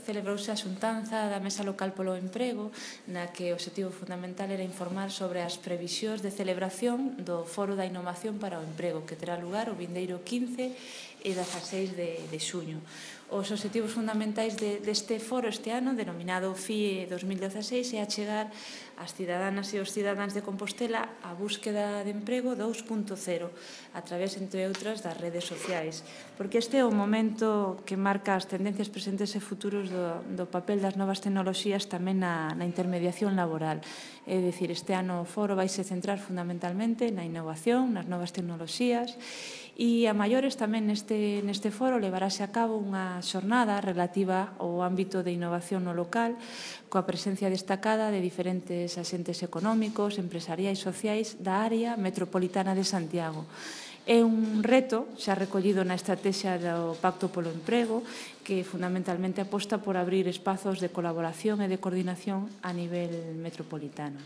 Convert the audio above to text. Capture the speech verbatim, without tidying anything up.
celebrouse a xuntanza da Mesa Local polo Emprego, na que o obxectivo fundamental era informar sobre as previsións de celebración do Foro da Innovación para o Emprego, que terá lugar o vindeiro quince e dezaseis de, de xuño. Os obxectivos fundamentais de, deste foro este ano, denominado F I E dos mil dezaseis, é achegar as cidadanas e os cidadáns de Compostela a búsqueda de emprego dous punto cero, a través, entre outras, das redes sociais. Porque este é o momento que marca as tendencias presentes e futuros do, do papel das novas tecnoloxías tamén na, na intermediación laboral. É dicir, este ano o foro vai se centrar fundamentalmente na innovación, nas novas tecnoloxías, e a maiores tamén neste, neste foro levarase a cabo unha xornada relativa ao ámbito de innovación no local, coa presencia destacada de diferentes axentes económicos, empresariais e sociais da área metropolitana de Santiago. É un reto xa recollido na estrategia do Pacto polo Emprego, que fundamentalmente aposta por abrir espazos de colaboración e de coordinación a nivel metropolitano.